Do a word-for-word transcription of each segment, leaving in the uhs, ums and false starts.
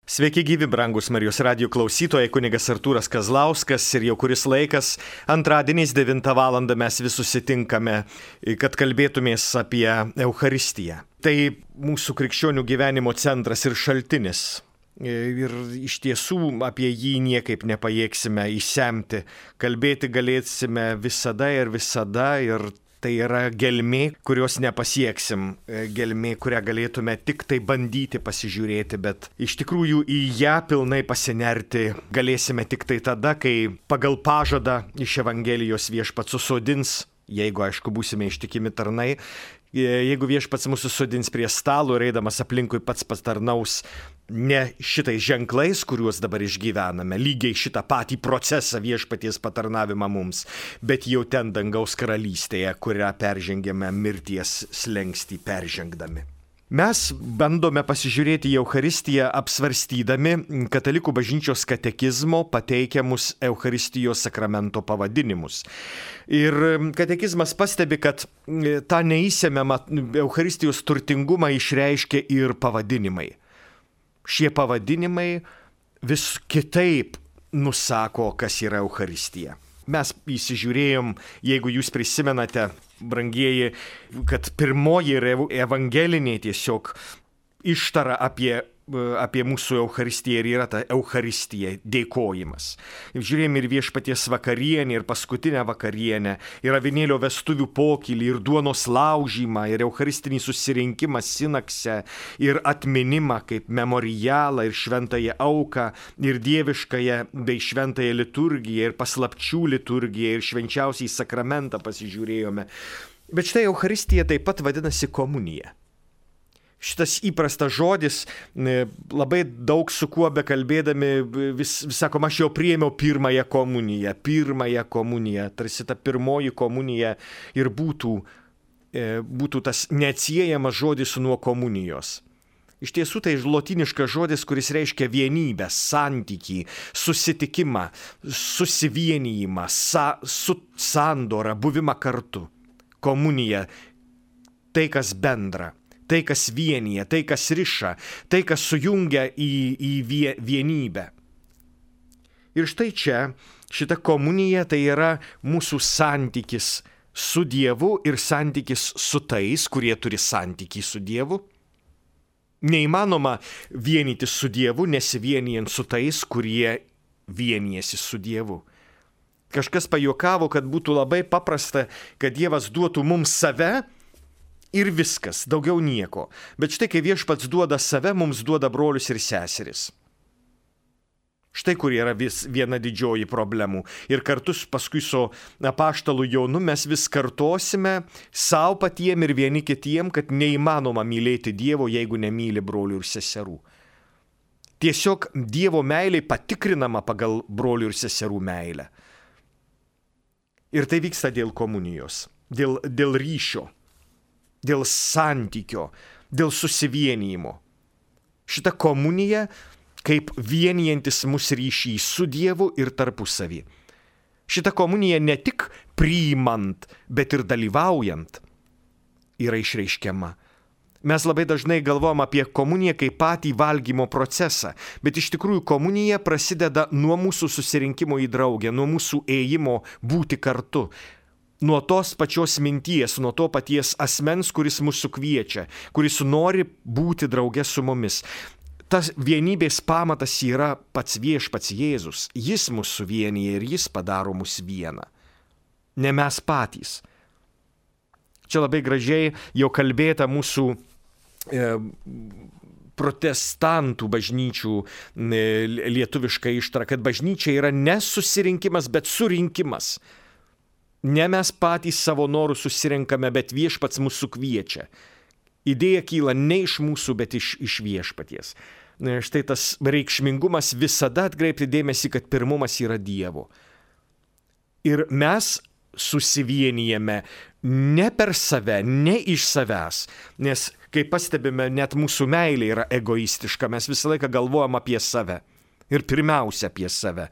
Sveiki gyvi, brangus Marijos radijo klausytojai, kunigas Artūras Kazlauskas ir jau kuris laikas antradieniais devintą valandą mes vis susitinkame, kad kalbėtumės apie Eucharistiją. Tai mūsų krikščionių gyvenimo centras ir šaltinis. Ir iš tiesų apie jį niekaip nepajėgsime išsemti. Kalbėti galėsime visada ir visada ir tai yra gelmė, kurios nepasieksim, gelmė, kurią galėtume tik tai bandyti pasižiūrėti, bet iš tikrųjų į ją pilnai pasinerti galėsime tik tai tada, kai pagal pažadą iš Evangelijos viešpats susodins, jeigu aišku būsime ištikimi tarnai, jeigu viešpats mūsų susodins prie stalo ir eidamas aplinkui pats patarnaus ne šitais ženklais, kuriuos dabar išgyvename, lygiai šitą patį procesą viešpaties patarnavimą mums, bet jau ten dangaus karalystėje, kurią peržengėme mirties slenkstį peržengdami. Mes bandome pasižiūrėti į Eucharistiją apsvarstydami Katalikų bažnyčios katekizmo pateikiamus Eucharistijos sakramento pavadinimus. Ir katekizmas pastebi, kad tą neįsemiamą Eucharistijos turtingumą išreiškia ir pavadinimai. Šie pavadinimai vis kitaip nusako, kas yra Eucharistija. Mes įsižiūrėjom, jeigu jūs prisimenate, brangieji, kad pirmoji evangelinė tiesiog ištara apie, apie mūsų Eucharistiją ir yra ta Eucharistija, dėkojimas. Žiūrėjom ir viešpaties vakarienę, ir paskutinę vakarienę, ir avinėlio vestuvių pokylį, ir duonos laužymą, ir Eucharistinį susirinkimą sinakse, ir atminimą kaip memorialą, ir šventąją auką, ir dieviškąją bei šventąją liturgiją, ir paslapčių liturgiją, ir švenčiausiai sakramentą pasižiūrėjome. Bet štai Eucharistija taip pat vadinasi komunija. Šitas įprastas žodis, labai daug su kuo bekalbėdami, vis, vis sakom, aš jau priėmiau pirmąją komuniją, pirmąją komuniją, tarsi ta pirmoji komunija ir būtų, būtų tas neatsiejamas žodis nuo komunijos. Iš tiesų tai lotyniškas žodis, kuris reiškia vienybę, santykį, susitikimą, susivienijimą, sa, su, sandorą, buvimą kartu. Komunija, tai kas bendra. Tai, kas vienyje, tai, kas riša, tai, kas sujungia į, į vienybę. Ir štai čia, šita komunija tai yra mūsų santykis su Dievu ir santykis su tais, kurie turi santykį su Dievu. Neįmanoma vienytis su Dievu, nesivienijant su tais, kurie vienijasi su Dievu. Kažkas pajuokavo, kad būtų labai paprasta, kad Dievas duotų mums save, ir viskas, daugiau nieko. Bet štai, kai viešpats duoda save, mums duoda brolius ir seseris. Štai kur yra vis viena didžioji problemų. Ir kartu paskui su apaštalu Jonu mes vis kartosime savo patiem ir vieni kitiem, kad neįmanoma mylėti Dievo, jeigu nemyli brolių ir seserų. Tiesiog Dievo meilė patikrinama pagal brolių ir seserų meilę. Ir tai vyksta dėl komunijos, dėl, dėl ryšio. Dėl santykio, dėl susivienijimo. Šita komunija kaip vienijantis mus ryšys su Dievu ir tarpusavį. Šita komunija ne tik priimant, bet ir dalyvaujant yra išreiškiama. Mes labai dažnai galvojam apie komuniją kaip patį valgymo procesą, bet iš tikrųjų komunija prasideda nuo mūsų susirinkimo į draugę, nuo mūsų ėjimo būti kartu. Nuo tos pačios minties, nuo to paties asmens, kuris mūsų kviečia, kuris nori būti drauge su mumis. Tas vienybės pamatas yra pats viešpats Jėzus. Jis mus suvienyje ir jis padaro mus vieną. Ne mes patys. Čia labai gražiai jau kalbėta mūsų e, protestantų bažnyčių e, lietuviška ištara, kad bažnyčia yra ne susirinkimas, bet surinkimas. Ne mes patys savo norų susirenkame, bet viešpats mūsų kviečia. Idėja kyla ne iš mūsų, bet iš, iš viešpaties. Štai tas reikšmingumas visada atkreipti dėmesį, kad pirmumas yra Dievo. Ir mes susivienijame ne per save, ne iš savęs, nes, kaip pastebime, net mūsų meilė yra egoistiška, mes visą laiką galvojam apie save ir pirmiausia apie save.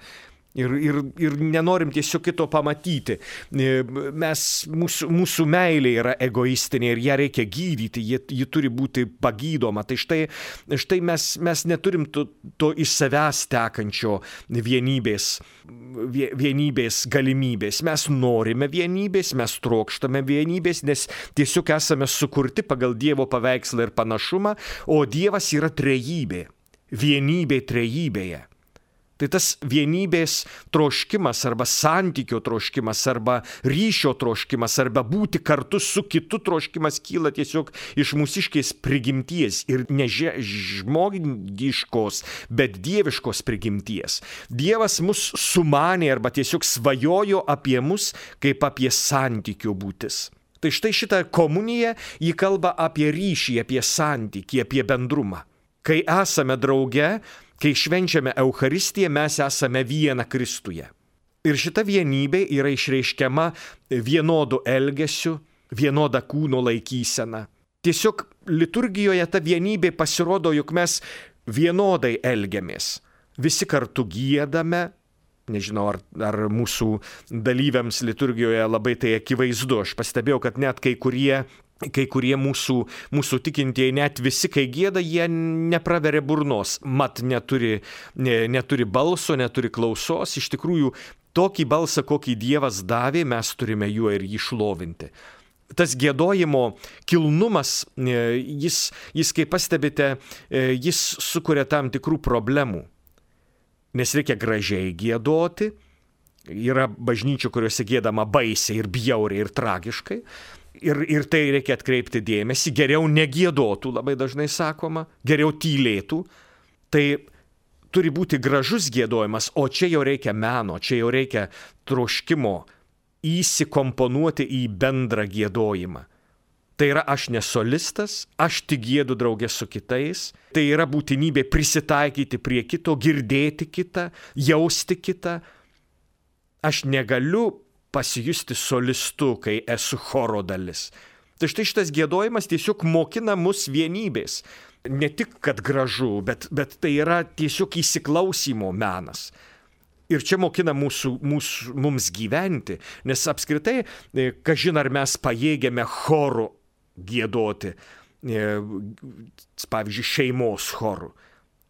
Ir, ir, ir nenorim tiesiog kito pamatyti. Mes, mūsų, mūsų meilė yra egoistinė ir ją reikia gydyti, ji, ji turi būti pagydoma. Tai štai, štai mes, mes neturim to, to iš savęs tekančio vienybės, vienybės galimybės. Mes norime vienybės, mes trokštame vienybės, nes tiesiog esame sukurti pagal Dievo paveikslą ir panašumą, o Dievas yra trejybė, vienybė trejybėje. Tai tas vienybės troškimas arba santykio troškimas arba ryšio troškimas arba būti kartu su kitu troškimas kyla tiesiog iš mūsiškės prigimties ir ne žmogiškos, bet dieviškos prigimties. Dievas mus sumanė arba tiesiog svajojo apie mus kaip apie santykio būtis. Tai štai šitą komuniją jį kalba apie ryšį, apie santykį, apie bendrumą. Kai esame drauge, kai švenčiame Eucharistiją, mes esame viena Kristuje. Ir šita vienybė yra išreiškiama vienodu elgesiu, vienoda kūno laikysena. Tiesiog liturgijoje ta vienybė pasirodo, jog mes vienodai elgiamės. Visi kartu giedame. Nežinau, ar, ar mūsų dalyviams liturgijoje labai tai akivaizdu. Aš pastebėjau, kad net kai kurie Kai kurie mūsų, mūsų tikintieji, net visi, kai gieda, jie nepraveria burnos, mat neturi, ne, neturi balso, neturi klausos. Iš tikrųjų, tokį balsą, kokį Dievas davė, mes turime juo ir jį šlovinti. Tas giedojimo kilnumas, jis, jis, kaip pastebite, jis sukuria tam tikrų problemų. Nes reikia gražiai giedoti. Yra bažnyčių, kuriuose giedama baisiai ir bjauriai ir tragiškai. Ir, ir tai reikia atkreipti dėmesį, geriau negiedotų, labai dažnai sakoma, geriau tylėtų. Tai turi būti gražus giedojimas, o čia jau reikia meno, čia jau reikia troškimo įsikomponuoti į bendrą giedojimą. Tai yra aš ne solistas, aš tik giedu draugė su kitais, tai yra būtinybė prisitaikyti prie kito, girdėti kitą, jausti kitą. Aš negaliu pasijusti solistu, kai esu choro dalis. Tai štai šitas giedojimas tiesiog mokina mus vienybės. Ne tik, kad gražu, bet, bet tai yra tiesiog įsiklausimo menas. Ir čia mokina mūsų, mūsų, mums gyventi, nes apskritai, kažin ar mes pajėgiame choru giedoti, pavyzdžiui, šeimos choru.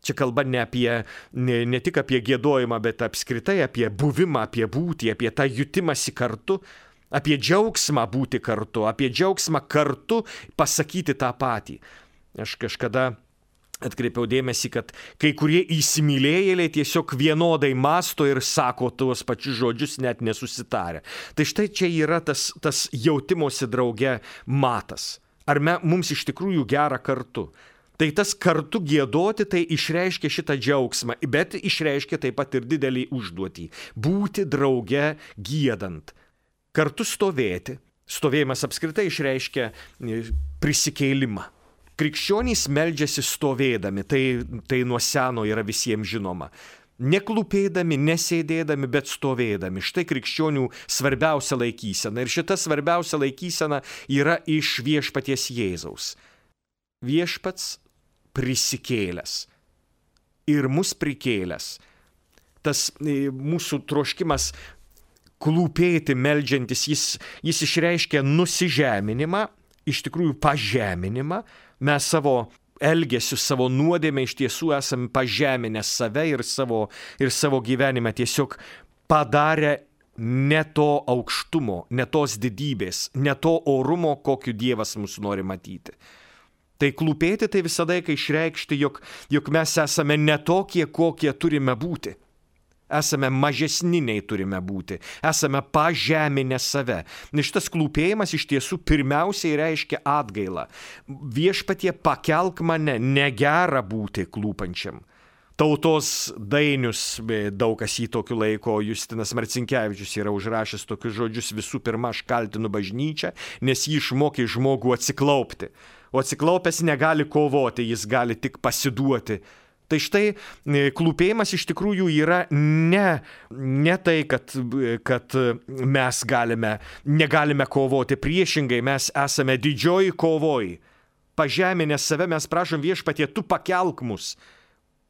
Čia kalba ne, apie, ne, ne tik apie giedojimą, bet apskritai apie buvimą, apie būtį, apie tą jutimąsi kartu, apie džiaugsmą būti kartu, apie džiaugsmą kartu pasakyti tą patį. Aš kažkada atkreipiau dėmesį, kad kai kurie įsimylėjėliai tiesiog vienodai mąsto ir sako tuos pačius žodžius net nesusitarę. Tai štai čia yra tas, tas jautimosi drauge matas. Ar me, mums iš tikrųjų gera kartu? Tai tas kartu giedoti, tai išreiškia šitą džiaugsmą, bet išreiškia taip pat ir didelį užduotį. Būti drauge giedant. Kartu stovėti. Stovėjimas apskritai išreiškia prisikėlimą. Krikščionys meldžiasi stovėdami, tai, tai nuo seno yra visiems žinoma. Neklūpėdami, nesėdėdami, bet stovėdami. Štai krikščionių svarbiausia laikysena. Ir šita svarbiausia laikysena yra iš viešpaties Jėzaus. Viešpats prisikėlęs ir mus prikėlęs. Tas mūsų troškimas klūpėti, meldžiantis, jis, jis išreiškia nusižeminimą, iš tikrųjų pažeminimą. Mes savo elgesiu, savo nuodėmę iš tiesų esame pažeminę save ir savo, ir savo gyvenime tiesiog padarę ne to aukštumo, ne tos didybės, ne to orumo, kokiu Dievas mus nori matyti. Tai klūpėti tai visada, kai išreikšti, jog, jog mes esame ne tokie, kokie turime būti. Esame mažesni nei turime būti. Esame pažeminę save. Nes šitas klūpėjimas iš tiesų pirmiausiai reiškia atgailą. Viešpatie, pakelk mane, negera būti klūpančiam. Tautos dainius, daug kas jį tokiu laiko, Justinas Marcinkevičius yra užrašęs tokius žodžius: visų pirma, aš kaltinu bažnyčią, nes jį išmokė žmogų atsiklaupti. O atsiklaupęs negali kovoti, jis gali tik pasiduoti. Tai štai klūpėjimas iš tikrųjų yra ne, ne tai, kad, kad mes galime, negalime kovoti. Priešingai, mes esame didžioji kovoj. Pažeminę save mes prašom Viešpatie, tu pakelk mus.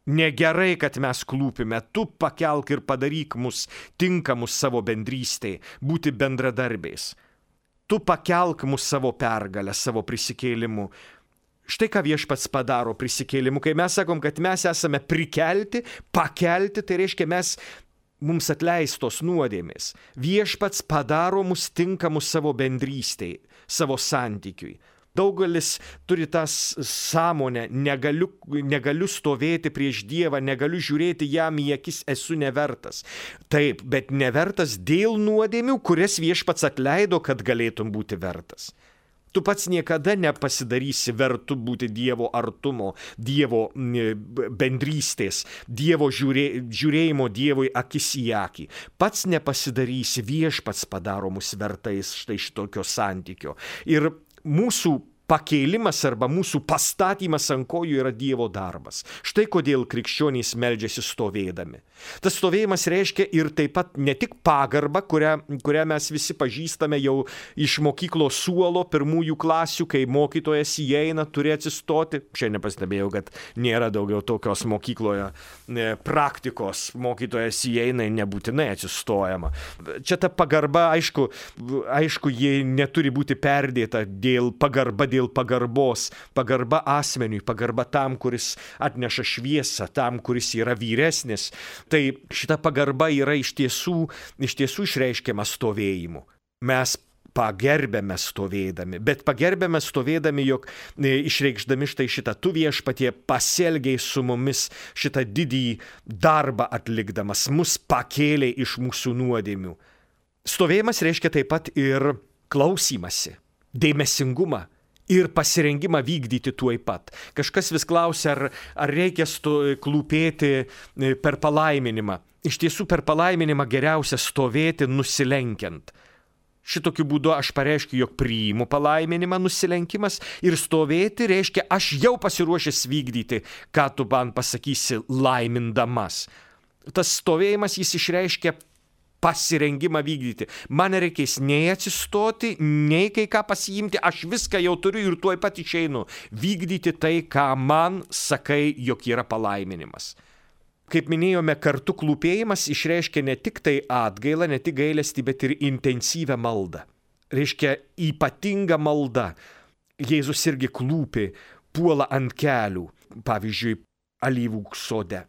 Negerai, kad mes klūpime, tu pakelk ir padaryk mus tinkamus savo bendrystėj, būti bendradarbiais. Tu pakelk mus savo pergalę, savo prisikėlimu. Štai ką Viešpats padaro prisikėlimu. Kai mes sakom, kad mes esame prikelti, pakelti, tai reiškia mes, mums atleistos nuodėmės. Viešpats padaro mus tinkamus savo bendrystėj, savo santykiui. Daugelis turi tas sąmonę, negaliu, negaliu stovėti prieš Dievą, negaliu žiūrėti jam į akis, esu nevertas. Taip, bet nevertas dėl nuodėmių, kurias Viešpats atleido, kad galėtum būti vertas. Tu pats niekada nepasidarysi vertu būti Dievo artumo, Dievo bendrystės, Dievo žiūrė, žiūrėjimo Dievui akis į akį. Pats nepasidarysi, Viešpats padaro mus vertais štai šitokio santykio. Ir mūsų pakėlimas arba mūsų pastatymas ant kojų yra Dievo darbas. Štai kodėl krikščionys meldžiasi stovėdami. Tas stovėjimas reiškia ir taip pat ne tik pagarbą, kurią, kurią mes visi pažįstame jau iš mokyklos suolo pirmųjų klasių, kai mokytojas įeina, turi atsistoti. Šiandien pastebėjau, kad nėra daugiau tokios mokykloje praktikos. Mokytojas įeina ir nebūtinai atsistojama. Čia ta pagarba, aišku, aišku, ji neturi būti perdėta dėl pagarba, dėl pagarbos, pagarba asmeniui, pagarba tam, kuris atneša šviesą, tam, kuris yra vyresnis. Tai šita pagarba yra iš tiesų, iš tiesų išreiškiama stovėjimu. Mes pagerbėme stovėdami, bet pagerbėme stovėdami, jog išreikšdami štai šitą, tu Viešpatie pasielgiai su mumis šitą didįjį darbą atlikdamas, mus pakėlė iš mūsų nuodėmių. Stovėjimas reiškia taip pat ir klausymasi, dėmesingumą ir pasirengimą vykdyti tuoj pat. Kažkas vis klausia, ar, ar reikia sto, klūpėti per palaiminimą. Iš tiesų per palaiminimą geriausia stovėti nusilenkiant. Šitokiu būdu aš pareiškiu, jog priimu palaiminimą, nusilenkimas, ir stovėti reiškia, aš jau pasiruošęs vykdyti, ką tu man pasakysi laimindamas. Tas stovėjimas jis išreiškia pasirengimą vykdyti. Man nereikės nei atsistoti, nei kai ką pasiimti, aš viską jau turiu ir tuoj pat išeinu vykdyti tai, ką man sakai, jog yra palaiminimas. Kaip minėjome, kartu klūpėjimas išreiškia ne tik tai atgailą, ne tik gailestį, bet ir intensyvę maldą. Reiškia ypatinga malda. Jėzus irgi klūpi, puola ant kelių, pavyzdžiui, alyvų sode.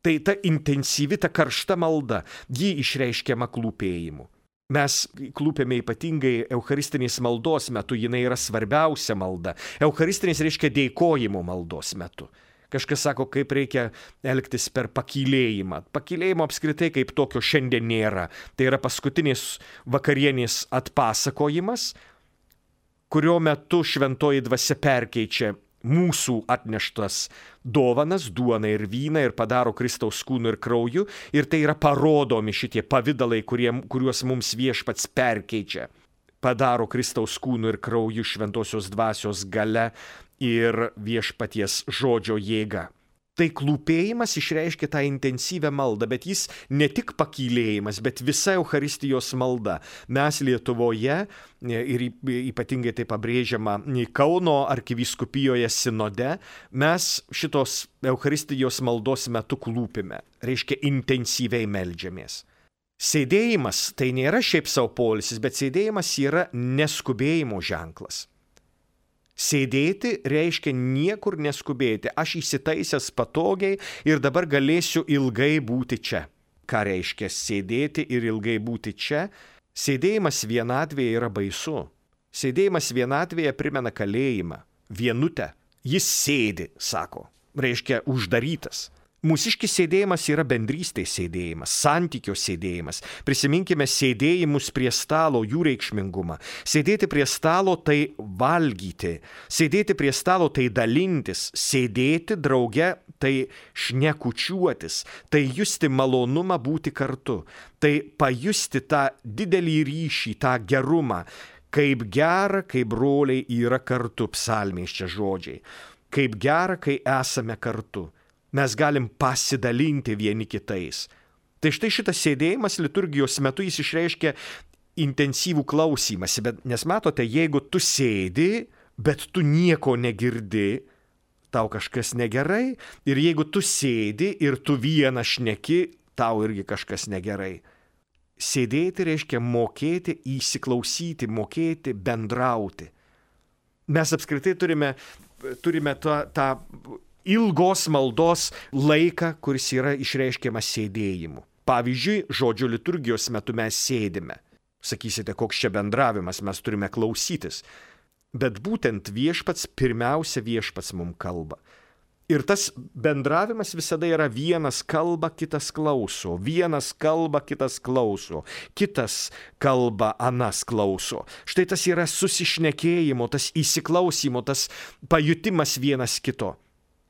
Tai ta intensyvi, ta karšta malda, ji išreiškiama klūpėjimu. Mes klūpėme ypatingai eucharistinės maldos metu, jinai yra svarbiausia malda. Eucharistinės reiškia dėkojimo maldos metu. Kažkas sako, kaip reikia elgtis per pakylėjimą. Pakylėjimo apskritai kaip tokio šiandien nėra. Tai yra paskutinės vakarienės atpasakojimas, kurio metu šventoji dvasia perkeičia mūsų atneštas dovanas, duoną ir vyną ir padaro Kristaus kūnu ir krauju. Ir tai yra parodomi šitie pavydalai, kurie, kuriuos mums Viešpats perkeičia. Padaro Kristaus kūnu ir krauju šventosios dvasios galia ir Viešpaties žodžio jėga. Tai klūpėjimas išreiškia tą intensyvę maldą, bet jis ne tik pakylėjimas, bet visa Eucharistijos malda. Mes Lietuvoje, ir ypatingai tai pabrėžiama Kauno arkivyskupijoje sinode, mes šitos Eucharistijos maldos metu klūpime, reiškia intensyviai meldžiamės. Sėdėjimas tai nėra šiaip savo poilsis, bet sėdėjimas yra neskubėjimo ženklas. Sėdėti reiškia niekur neskubėti. Aš įsitaisęs patogiai ir dabar galėsiu ilgai būti čia. Ką reiškia sėdėti ir ilgai būti čia? Sėdėjimas vienatvėje yra baisu. Sėdėjimas vienatvėje primena kalėjimą, vienutę. Jis sėdi, sako, reiškia uždarytas. Mūsiškis sėdėjimas yra bendrystės sėdėjimas, santykio sėdėjimas. Prisiminkime sėdėjimus prie stalo, jų reikšmingumą. Sėdėti prie stalo tai valgyti, sėdėti prie stalo tai dalintis, sėdėti drauge tai šnekučiuotis, tai justi malonumą būti kartu, tai pajusti tą didelį ryšį, tą gerumą, kaip gera, kai broliai yra kartu, psalmės čia žodžiai, kaip gera, kai esame kartu. Mes galim pasidalinti vieni kitais. Tai štai šitas sėdėjimas liturgijos metu jis išreiškia intensyvų klausymąsi, bet nes matote, jeigu tu sėdi, bet tu nieko negirdi, tau kažkas negerai ir jeigu tu sėdi ir tu vieną šneki, tau irgi kažkas negerai. Sėdėti reiškia mokėti įsiklausyti, mokėti bendrauti. Mes apskritai turime, turime tą, tą ilgos maldos laiką, kuris yra išreiškiamas sėdėjimu. Pavyzdžiui, žodžio liturgijos metu mes sėdime. Sakysite, koks čia bendravimas, mes turime klausytis. Bet būtent viešpats, pirmiausia viešpats mums kalba. Ir tas bendravimas visada yra vienas kalba, kitas klauso. Vienas kalba, kitas klauso. Kitas kalba, anas klauso. Štai tas yra susišnekėjimo, tas įsiklausimo, tas pajutimas vienas kito.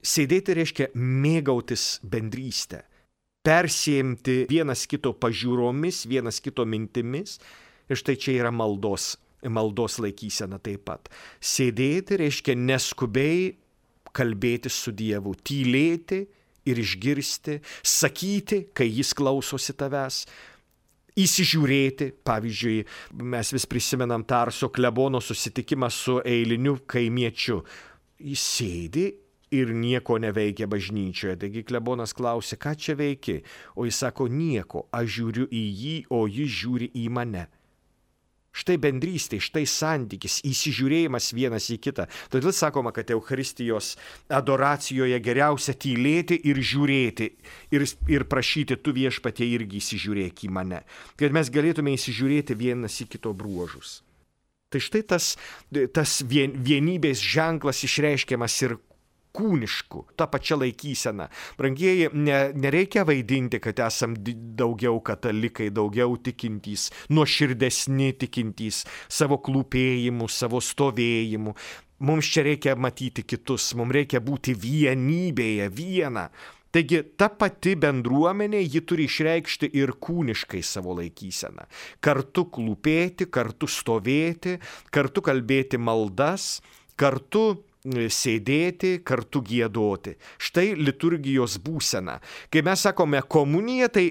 Sėdėti reiškia mėgautis bendrystę. Persėmti vienas kito pažiūromis, vienas kito mintimis. Ir štai čia yra maldos, maldos laikysena taip pat. Sėdėti reiškia neskubiai kalbėti su Dievu, tylėti ir išgirsti, sakyti, kai jis klausosi tavęs, įsižiūrėti. Pavyzdžiui, mes vis prisimenam Tarso klebono susitikimą su eiliniu kaimiečiu. Jis sėdi ir nieko neveikia bažnyčioje. Taigi klebonas klausė, ką čia veiki? O jis sako, nieko, aš žiūriu į jį, o jis žiūri į mane. Štai bendrystė, štai santykis, įsižiūrėjimas vienas į kitą. Todėl sakoma, kad Eucharistijos adoracijoje geriausia tylėti ir žiūrėti ir, ir prašyti, tu viešpatie irgi įsižiūrėk į mane, kad mes galėtume įsižiūrėti vienas į kito bruožus. Tai štai tas, tas vien, vienybės ženklas išreiškiamas ir kūniškų, ta pačia laikysena. Brangieji, ne, nereikia vaidinti, kad esam daugiau katalikai, daugiau tikintys, nuoširdesni tikintys, savo klūpėjimu, savo stovėjimu. Mums čia reikia matyti kitus, mums reikia būti vienybėje, viena. Taigi ta pati bendruomenė, ji turi išreikšti ir kūniškai savo laikyseną. Kartu klūpėti, kartu stovėti, kartu kalbėti maldas, kartu sėdėti, kartu giedoti. Štai liturgijos būsena. Kai mes sakome komuniją, tai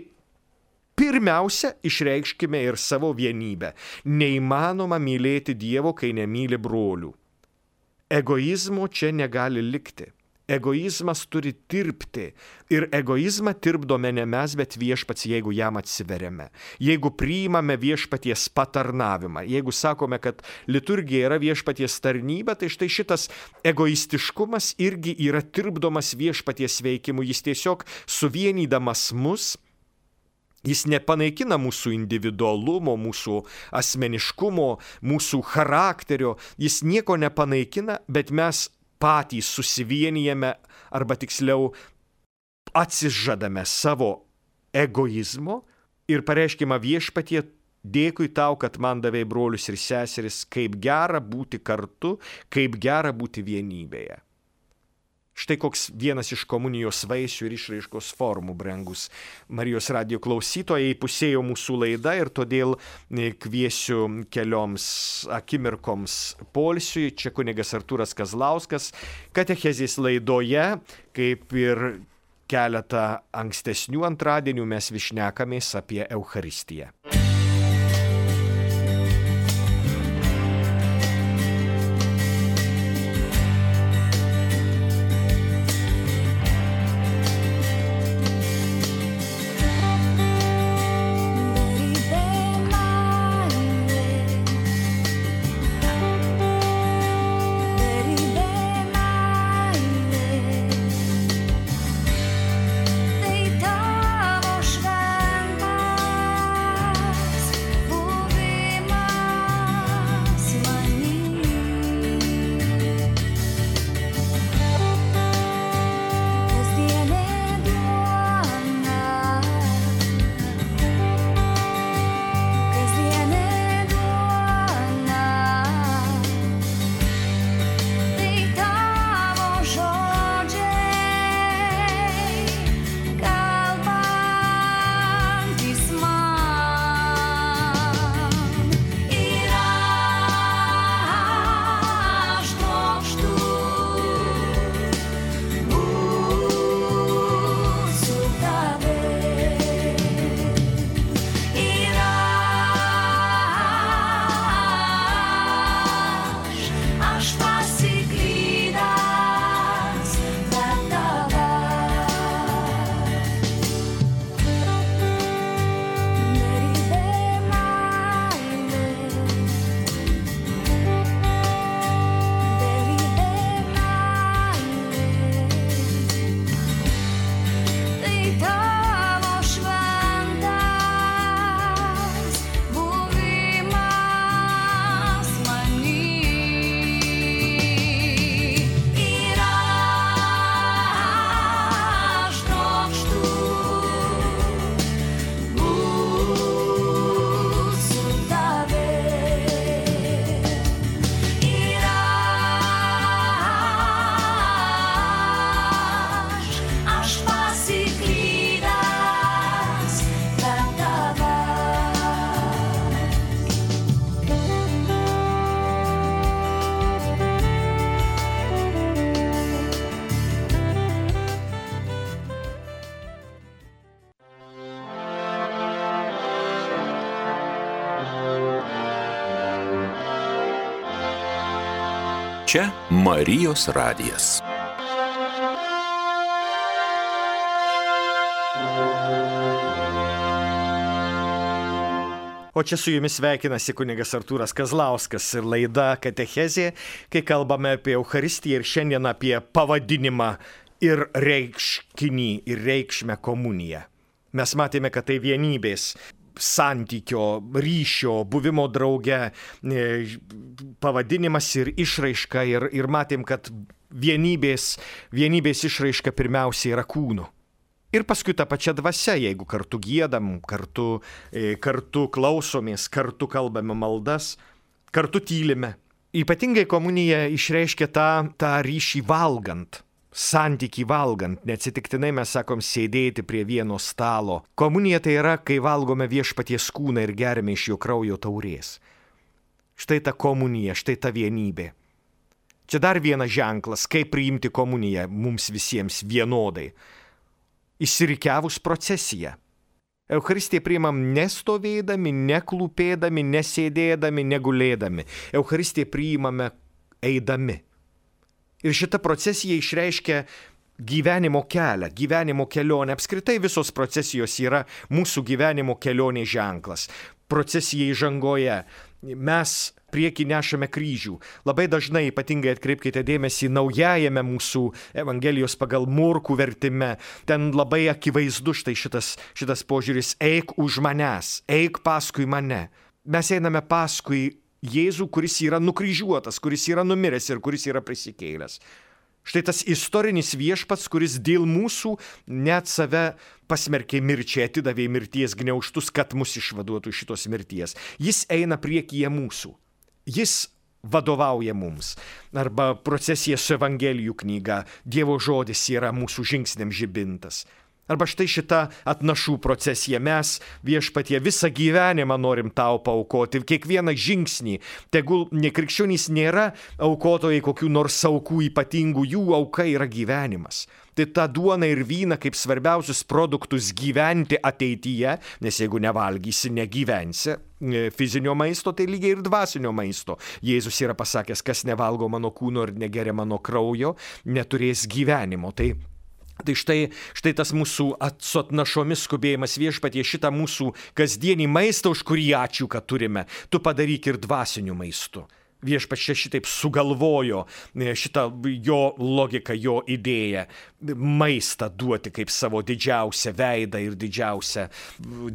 pirmiausia išreikškime ir savo vienybę. Neįmanoma mylėti Dievo, kai nemyli brolių. Egoizmo čia negali likti. Egoizmas turi tirpti. Ir egoizmą tirpdome ne mes, bet viešpats, jeigu jam atsiveriame. Jeigu priimame viešpaties patarnavimą. Jeigu sakome, kad liturgija yra viešpaties tarnyba, tai štai šitas egoistiškumas irgi yra tirpdomas viešpaties veikimu. Jis tiesiog suvienydamas mus, jis nepanaikina mūsų individualumo, mūsų asmeniškumo, mūsų charakterio. Jis nieko nepanaikina, bet mes patys susivienijame, arba tiksliau atsižadame savo egoizmo ir pareiškime viešpatie, dėkui tau, kad man davei brolius ir seseris, kaip gera būti kartu, kaip gera būti vienybėje. Štai koks vienas iš komunijos vaisių ir išraiškos formų, brangus Marijos radijo klausytojai, įpusėjo mūsų laida ir todėl kviesiu kelioms akimirkoms poilsiui. Čia kunigas Artūras Kazlauskas, katechezės laidoje, kaip ir keletą ankstesnių antradienių, mes vis šnekamės apie Eucharistiją. Čia Marijos radijas. O čia su jumis sveikinasi kunigas Artūras Kazlauskas ir laida Katechezė, kai kalbame apie Eucharistiją ir šiandien apie pavadinimą ir reikškinį ir reikšmę komuniją. Mes matėme, kad tai vienybės, santykio, ryšio, buvimo drauge pavadinimas ir išraiška ir, ir matėm, kad vienybės, vienybės išraiška pirmiausia yra kūnu. Ir paskui ta pačia dvasia, jeigu kartu giedam, kartu, kartu klausomės, kartu kalbame maldas, kartu tylime. Ypatingai komunija išreiškia tą, tą ryšį valgant, santykį valgant. Neatsitiktinai mes sakom sėdėti prie vieno stalo. Komunija tai yra, kai valgome viešpaties kūną ir geriame iš jo kraujo taurės. Štai ta komunija, štai ta vienybė. Čia dar vienas ženklas, kaip priimti komuniją mums visiems vienodai. Išsirikiavus procesiją. Eucharistiją priimam nestovėdami, neklūpėdami, nesėdėdami, negulėdami. Eucharistiją priimame eidami. Ir šita procesija išreiškia gyvenimo kelią, gyvenimo kelionę. Apskritai visos procesijos yra mūsų gyvenimo kelionės ženklas. Procesija įžangoje. Mes priekį nešame kryžių. Labai dažnai, ypatingai atkreipkite dėmesį, naujajame mūsų Evangelijos pagal Morkų vertime, ten labai akivaizdu štai šitas, šitas požiūris, eik už manęs, eik paskui mane. Mes einame paskui Jėzų, kuris yra nukryžiuotas, kuris yra numiręs ir kuris yra prisikėlęs. Štai tas istorinis viešpats, kuris dėl mūsų net save pasmerkė mirčiai, atidavė mirties gniaužtus, kad mus išvaduotų šitos mirties. Jis eina priekyje mūsų. Jis vadovauja mums. Arba procesija su Evangelijų knyga, Dievo žodis yra mūsų žingsniam žibintas. Arba štai šita atnašų procesija. Mes viešpatie visą gyvenimą norim tau paaukoti. Kiekvieną žingsnį. Tegul nekrikščionys nėra aukotojai kokių nors aukų ypatingų, jų auka yra gyvenimas. Tai tą duoną ir vyną kaip svarbiausius produktus gyventi ateityje, nes jeigu nevalgysi, negyvensi fizinio maisto, tai lygiai ir dvasinio maisto. Jėzus yra pasakęs, kas nevalgo mano kūno ir negeria mano kraujo, neturės gyvenimo. Tai Tai štai, štai tas mūsų su atnašomis skubėjimas viešpatie, šitą mūsų kasdienį maistą, už kurį ačiū, kad turime, tu padaryk ir dvasiniu maistu. Viešpats čia šitaip sugalvojo šitą jo logiką, jo idėją, maistą duoti kaip savo didžiausią veidą ir didžiausią,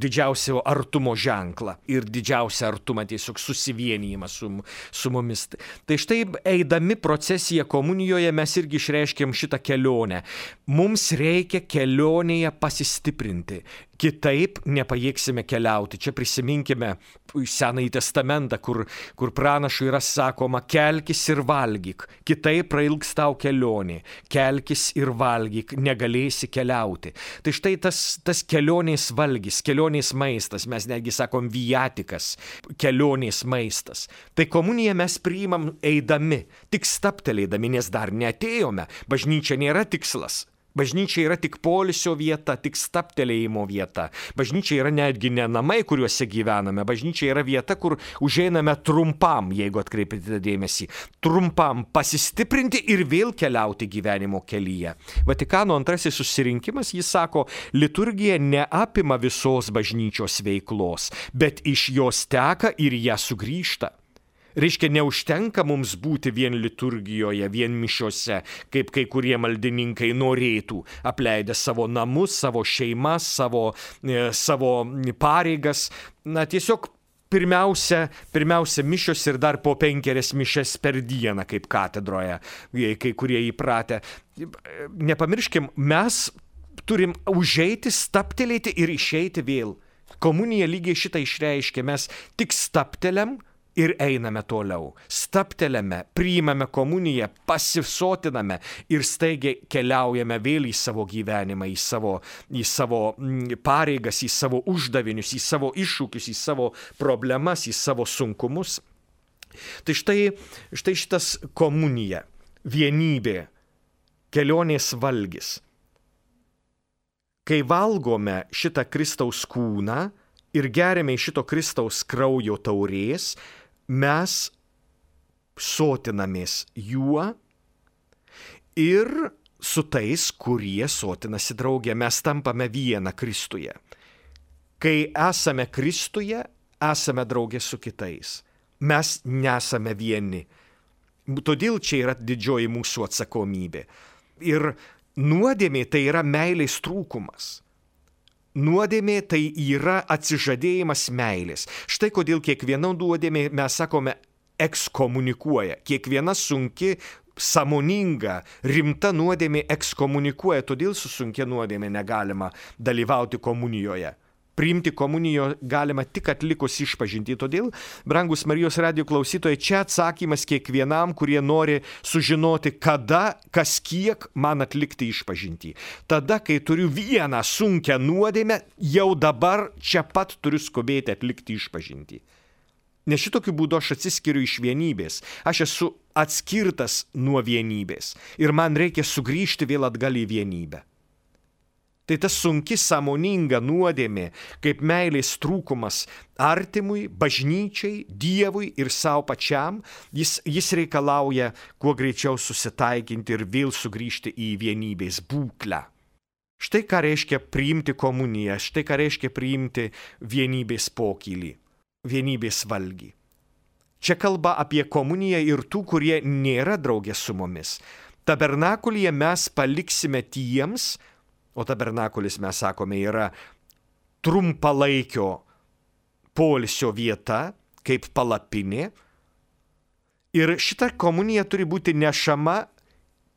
didžiausią artumo ženklą ir didžiausią artumą tiesiog susivienijimą su, su mumis. Tai štai eidami procesiją komunijoje mes irgi išreiškėm šitą kelionę. Mums reikia kelionėje pasistiprinti. Kitaip nepajėgsime keliauti. Čia prisiminkime Senąjį testamentą, kur, kur pranašui yra sakoma, kelkis ir valgyk, kitaip prailgs tau kelionė, kelkis ir valgyk, negalėsi keliauti. Tai štai tas, tas kelionės valgys, kelionės maistas, mes netgi sakom viatikas, kelionės maistas. Tai komuniją mes priimam eidami, tik staptelėdami, nes dar neatėjome. Bažnyčia nėra tikslas. Bažnyčia yra tik poilsio vieta, tik staptelėjimo vieta. Bažnyčia yra netgi ne namai, kuriuose gyvename. Bažnyčia yra vieta, kur užeiname trumpam, jeigu atkreipite dėmesį, trumpam pasistiprinti ir vėl keliauti gyvenimo kelyje. Vatikano antrasis susirinkimas, jis sako, liturgija neapima visos bažnyčios veiklos, bet iš jos teka ir ją sugrįžta. Reiškia, neužtenka mums būti vien liturgijoje, vien mišiose, kaip kai kurie maldininkai norėtų, apleidę savo namus, savo šeimas, savo, e, savo pareigas. Na, tiesiog pirmiausia, pirmiausia mišios ir dar po penkerias mišias per dieną, kaip katedroje, kai kurie įpratę. Nepamirškim, mes turim užeiti, staptelėti ir išeiti vėl. Komunija lygiai šitą išreiškia, mes tik stapteliam, ir einame toliau. Staptelėme, priimame komuniją, pasisotiname ir staigiai keliaujame vėl į savo gyvenimą, į savo, į savo pareigas, į savo uždavinius, į savo iššūkius, į savo problemas, į savo sunkumus. Tai štai, štai šitas komunija, vienybė, kelionės valgis. Kai valgome šitą Kristaus kūną ir geriame iš šito Kristaus kraujo taurės, mes sotinamės juo ir su tais, kurie sotinasi drauge. Mes tampame viena Kristuje. Kai esame Kristuje, esame drauge su kitais. Mes nesame vieni. Todėl čia yra didžioji mūsų atsakomybė. Ir nuodėmė tai yra meilės trūkumas. Nuodėmė tai yra atsižadėjimas meilės. Štai kodėl kiekviena nuodėmė, mes sakome, ekskomunikuoja. Kiekviena sunki, sąmoninga, rimta nuodėmė ekskomunikuoja. Todėl su sunkia nuodėmė negalima dalyvauti komunijoje. Priimti komunijo galima tik atlikus išpažintį. Todėl, brangus Marijos radijo klausytojai, čia atsakymas kiekvienam, kurie nori sužinoti, kada, kas kiek man atlikti išpažintį. Tada, kai turiu vieną sunkią nuodėmę, jau dabar čia pat turiu skubėti atlikti išpažintį. Nes šitokiu būdu aš atsiskiriu iš vienybės. Aš esu atskirtas nuo vienybės. Ir man reikia sugrįžti vėl atgal į vienybę. Tai ta sunki sąmoninga nuodėmė, kaip meilės trūkumas artimui, bažnyčiai, Dievui ir savo pačiam, jis, jis reikalauja kuo greičiau susitaikinti ir vėl sugrįžti į vienybės būklę. Štai ką reiškia priimti komuniją, štai ką reiškia priimti vienybės pokylį, vienybės valgį. Čia kalba apie komuniją ir tų, kurie nėra draugė su mumis. Tabernakulyje mes paliksime tiems, o tabernakulis, mes sakome, yra trumpalaikio poilsio vieta, kaip palapinė. Ir šita komunija turi būti nešama,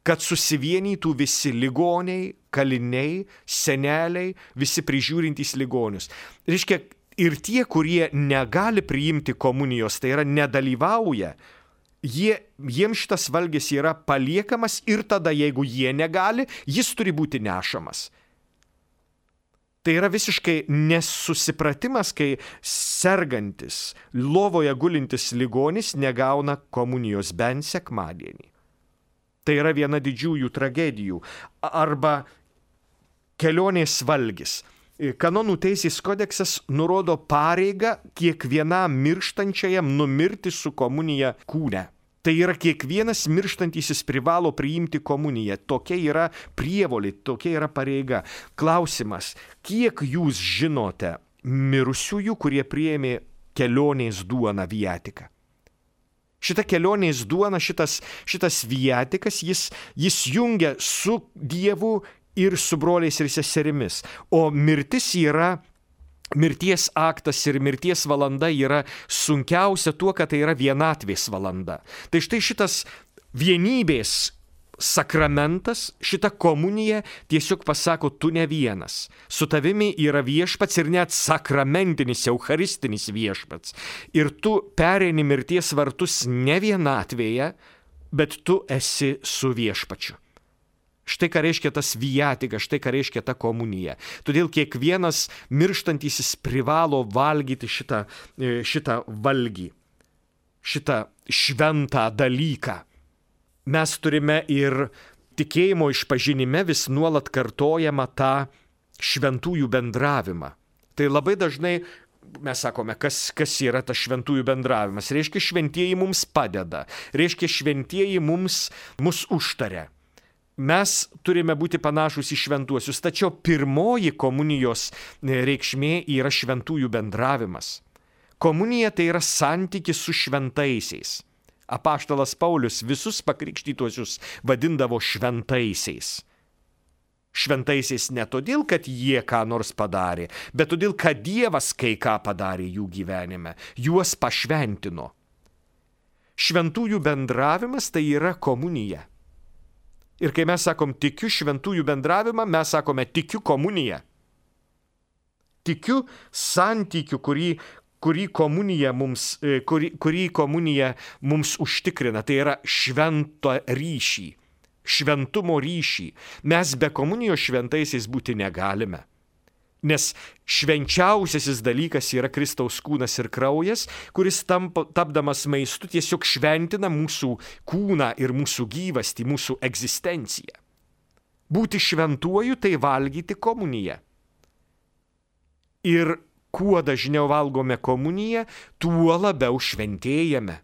kad susivienytų visi ligoniai, kaliniai, seneliai, visi prižiūrintys ligonius. Reiškia, ir tie, kurie negali priimti komunijos, tai yra nedalyvauja, Jie, jiems šitas valgis yra paliekamas ir tada, jeigu jie negali, jis turi būti nešamas. Tai yra visiškai nesusipratimas, kai sergantis, lovoje gulintis ligonis negauna komunijos bent sekmadienį. Tai yra viena didžiųjų tragedijų. Arba kelionės valgis. Kanonų teisės kodeksas nurodo pareigą kiekvienam mirštančiajam numirti su komunija kūne. Tai yra kiekvienas mirštantysis privalo priimti komuniją. Tokia yra prievolė, tokia yra pareiga. Klausimas, kiek jūs žinote mirusiųjų, kurie priėmė kelionės duoną viatiką? Šita kelionės duona, šitas, šitas viatikas, jis, jis jungia su Dievu ir su broliais ir seserimis. O mirtis yra, mirties aktas ir mirties valanda yra sunkiausia tuo, kad tai yra vienatvės valanda. Tai štai šitas vienybės sakramentas, šita komunija tiesiog pasako, tu ne vienas. Su tavimi yra viešpats ir net sakramentinis, eucharistinis viešpats. Ir tu pereini mirties vartus ne vienatvėje, bet tu esi su viešpačiu. Štai ką reiškia tas viatika, štai ką reiškia ta komunija. Todėl kiekvienas mirštantysis privalo valgyti šitą, šitą valgį, šitą šventą dalyką. Mes turime ir tikėjimo išpažinime vis nuolat kartojama tą šventųjų bendravimą. Tai labai dažnai mes sakome, kas, kas yra tas šventųjų bendravimas. Reiškia, šventieji mums padeda. Reiškia, šventieji mums, mus užtaria. Mes turime būti panašus į šventuosius, tačiau pirmoji komunijos reikšmė yra šventųjų bendravimas. Komunija tai yra santykis su šventaisiais. Apaštalas Paulius visus pakrikštytuosius vadindavo šventaisiais. Šventaisiais ne todėl, kad jie ką nors padarė, bet todėl, kad Dievas kai ką padarė jų gyvenime, juos pašventino. Šventųjų bendravimas tai yra komunija. Ir kai mes sakom tikiu šventųjų bendravimą, mes sakome tikiu komuniją. Tikiu santykiu, kurį, kurį, komunija mums, kurį, kurį komunija mums užtikrina. Tai yra švento ryšį, šventumo ryšį. Mes be komunijos šventaisiais būti negalime. Nes švenčiausiasis dalykas yra Kristaus kūnas ir kraujas, kuris tampa, tapdamas maistu tiesiog šventina mūsų kūną ir mūsų gyvastį, mūsų egzistenciją. Būti šventuoju tai valgyti komuniją. Ir kuo dažniau valgome komuniją, tuo labiau šventėjame.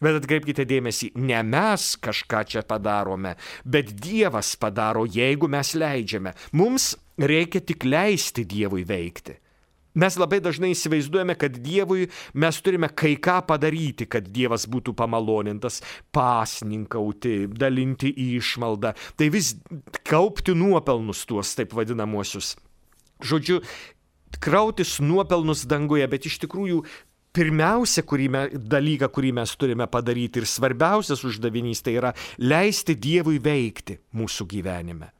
Bet atkreipkite dėmesį, ne mes kažką čia padarome, bet Dievas padaro, jeigu mes leidžiame. Mums reikia tik leisti Dievui veikti. Mes labai dažnai įsivaizduojame, kad Dievui mes turime kai ką padaryti, kad Dievas būtų pamalonintas, pasninkauti, dalinti išmaldą, tai vis kaupti nuopelnus tuos taip vadinamuosius. Žodžiu, krautis nuopelnus danguje, bet iš tikrųjų pirmiausia kurį me, dalyką, kurį mes turime padaryti ir svarbiausias uždavinys, tai yra leisti Dievui veikti mūsų gyvenime.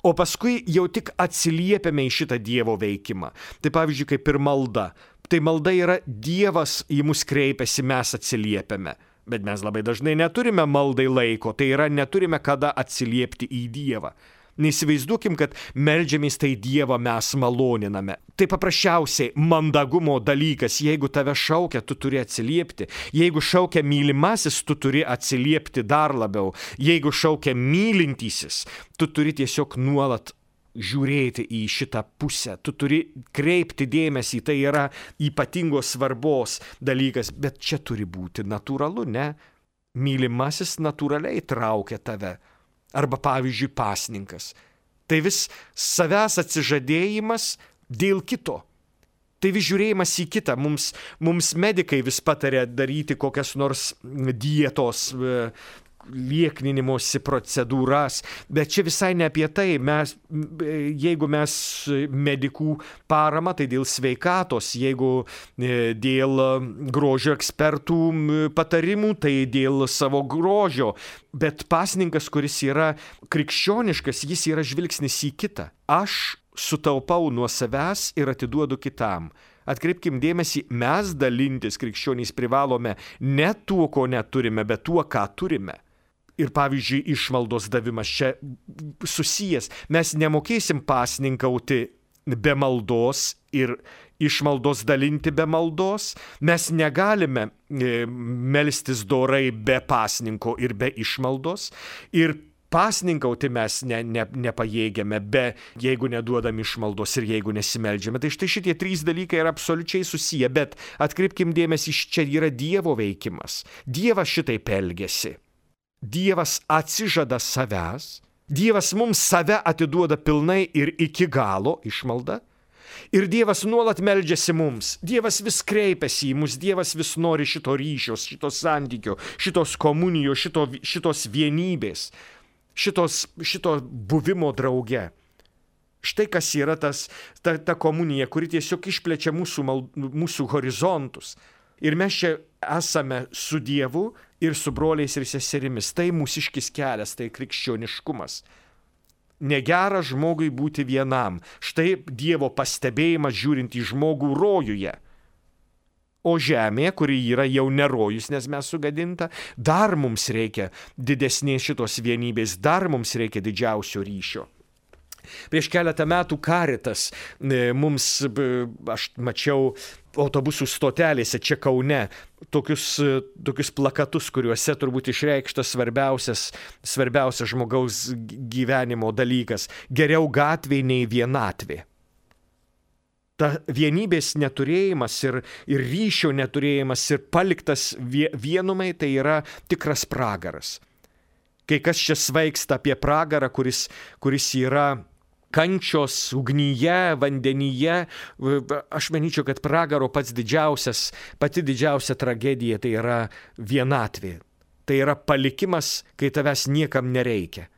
O paskui jau tik atsiliepiame į šitą Dievo veikimą. Tai pavyzdžiui, kaip ir malda. Tai malda yra Dievas į mus kreipiasi, mes atsiliepiame. Bet mes labai dažnai neturime maldai laiko, tai yra neturime kada atsiliepti į Dievą. Neįsivaizduokim, kad meldžiamės tai Dievą mes maloniname. Tai paprasčiausiai mandagumo dalykas, jeigu tave šaukia, tu turi atsiliepti. Jeigu šaukia mylimasis, tu turi atsiliepti dar labiau. Jeigu šaukia mylintysis, tu turi tiesiog nuolat žiūrėti į šitą pusę. Tu turi kreipti dėmesį, tai yra ypatingos svarbos dalykas, bet čia turi būti natūralu, ne? Mylimasis natūraliai traukia tave. Arba, pavyzdžiui, pasninkas. Tai vis savęs atsižadėjimas dėl kito. Tai vis žiūrėjimas į kitą. Mums, mums medikai vis patarė daryti kokias nors dietos, liekninimosi procedūras, bet čia visai ne apie tai. Mes, jeigu mes medikų parama, tai dėl sveikatos, jeigu dėl grožio ekspertų patarimų, tai dėl savo grožio. Bet pasninkas, kuris yra krikščioniškas, jis yra žvilgsnis į kitą. Aš sutaupau nuo savęs ir atiduodu kitam. Atkreipkim dėmesį, mes dalintis krikščionys privalome ne tuo, ko neturime, bet tuo, ką turime. Ir pavyzdžiui, išmaldos davimas čia susijęs. Mes nemokėsim pasninkauti be maldos ir išmaldos dalinti be maldos. Mes negalime e, melstis dorai be pasninko ir be išmaldos. Ir pasninkauti mes ne, ne, nepajėgiame, be, jeigu neduodam išmaldos ir jeigu nesimeldžiame. Tai štai šitie trys dalykai yra absoliučiai susiję, bet atkreipkim dėmesį, čia yra Dievo veikimas. Dievas šitaip elgiasi. Dievas atsižada savęs, Dievas mums save atiduoda pilnai ir iki galo išmalda, ir Dievas nuolat meldžiasi mums, Dievas vis kreipiasi į mus, Dievas vis nori šito ryšios, šito santykio, šitos komunijos, šito, šitos vienybės, šitos, šito buvimo drauge. Štai kas yra tas, ta, ta komunija, kuri tiesiog išplečia mūsų, mal, mūsų horizontus. Ir mes čia esame su Dievu ir su broliais ir seserimis. Tai mūsiškis kelias, tai krikščioniškumas. Negera žmogui būti vienam. Štai Dievo pastebėjimas žiūrint į žmogų rojuje. O žemė, kuri yra jau ne rojus, nes mes sugadinta, dar mums reikia didesnės šitos vienybės, dar mums reikia didžiausio ryšio. Prieš keletą metų Caritas mums, aš mačiau autobusų stotelėse čia Kaune, tokius, tokius plakatus, kuriuose turbūt išreikštas svarbiausias, svarbiausias žmogaus gyvenimo dalykas. Geriau gatvė nei vienatvė. Ta vienybės neturėjimas ir, ir ryšio neturėjimas ir paliktas vienumai, tai yra tikras pragaras. Kai kas čia svaigsta apie pragarą, kuris, kuris yra kančios ugnyje, vandenyje, aš manyčiau, kad pragaro pats didžiausias, pati didžiausia tragedija tai yra vienatvė. Tai yra palikimas, kai tavęs niekam nereikia.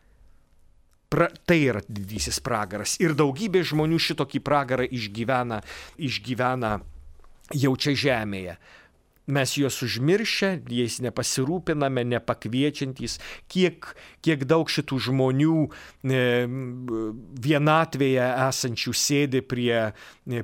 Pra, tai yra didysis pragaras. Ir daugybė žmonių šitokį pragarą išgyvena, išgyvena jau čia žemėje. Mes juos užmiršę, jais nepasirūpiname, nepakviečiantys, kiek, kiek daug šitų žmonių e, vienatvėje esančių sėdi prie,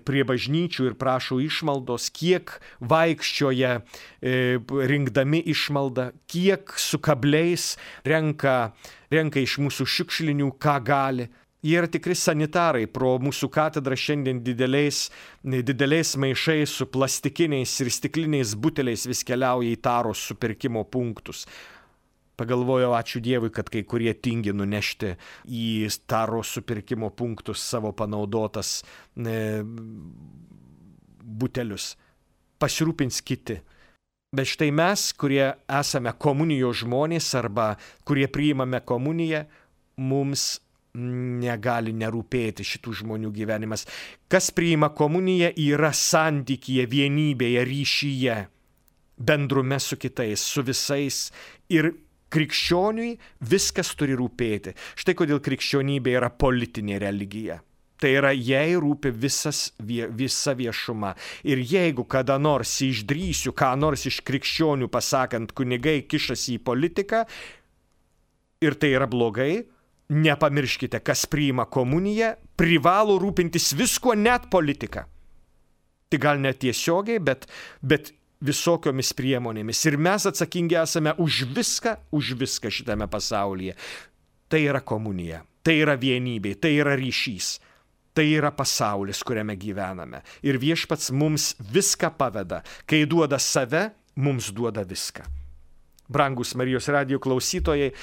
prie bažnyčių ir prašo išmaldos, kiek vaikščioja e, rinkdami išmaldą, kiek su kabliais renka, renka iš mūsų šiukšlinių, ką gali. Jie yra tikri sanitarai, pro mūsų katedrą šiandien dideliais, dideliais maišais su plastikiniais ir stikliniais buteliais vis keliauja į taros supirkimo punktus. Pagalvojau, ačiū Dievui, kad kai kurie tingi nunešti į taros supirkimo punktus savo panaudotas e, butelius. Pasirūpins kiti. Bet štai mes, kurie esame komunijos žmonės arba kurie priimame komuniją, mums negali nerūpėti šitų žmonių gyvenimas. Kas priima komuniją, yra santykyje, vienybėje, ryšyje, bendrume su kitais, su visais. Ir krikščioniui viskas turi rūpėti. Štai kodėl krikščionybė yra politinė religija. Tai yra, jai rūpi visas, visa viešuma. Ir jeigu kada nors išdrįsiu, ką nors iš krikščionių pasakant, kunigai kišasi į politiką, ir tai yra blogai, nepamirškite, kas priima komuniją, privalo rūpintis visko, net politika. Tai gal net tiesiogiai, bet, bet visokiomis priemonėmis. Ir mes atsakingi esame už viską, už viską šitame pasaulyje. Tai yra komunija, tai yra vienybė, tai yra ryšys. Tai yra pasaulis, kuriame gyvename. Ir viešpats mums viską paveda. Kai duoda save, mums duoda viską. Brangus Marijos radijo klausytojai,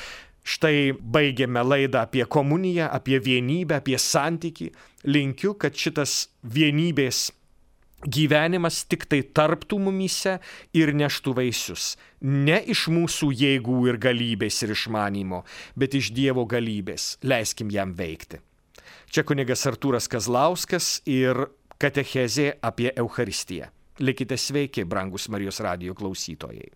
štai baigėme laidą apie komuniją, apie vienybę, apie santykį. Linkiu, kad šitas vienybės gyvenimas tik tai tarptų mumyse ir neštų vaisius. Ne iš mūsų jėgų ir galybės ir išmanymo, bet iš Dievo galybės. Leiskim jam veikti. Čia kunigas Artūras Kazlauskas ir katechezė apie Eucharistiją. Likite sveiki, brangus Marijos radijo klausytojai.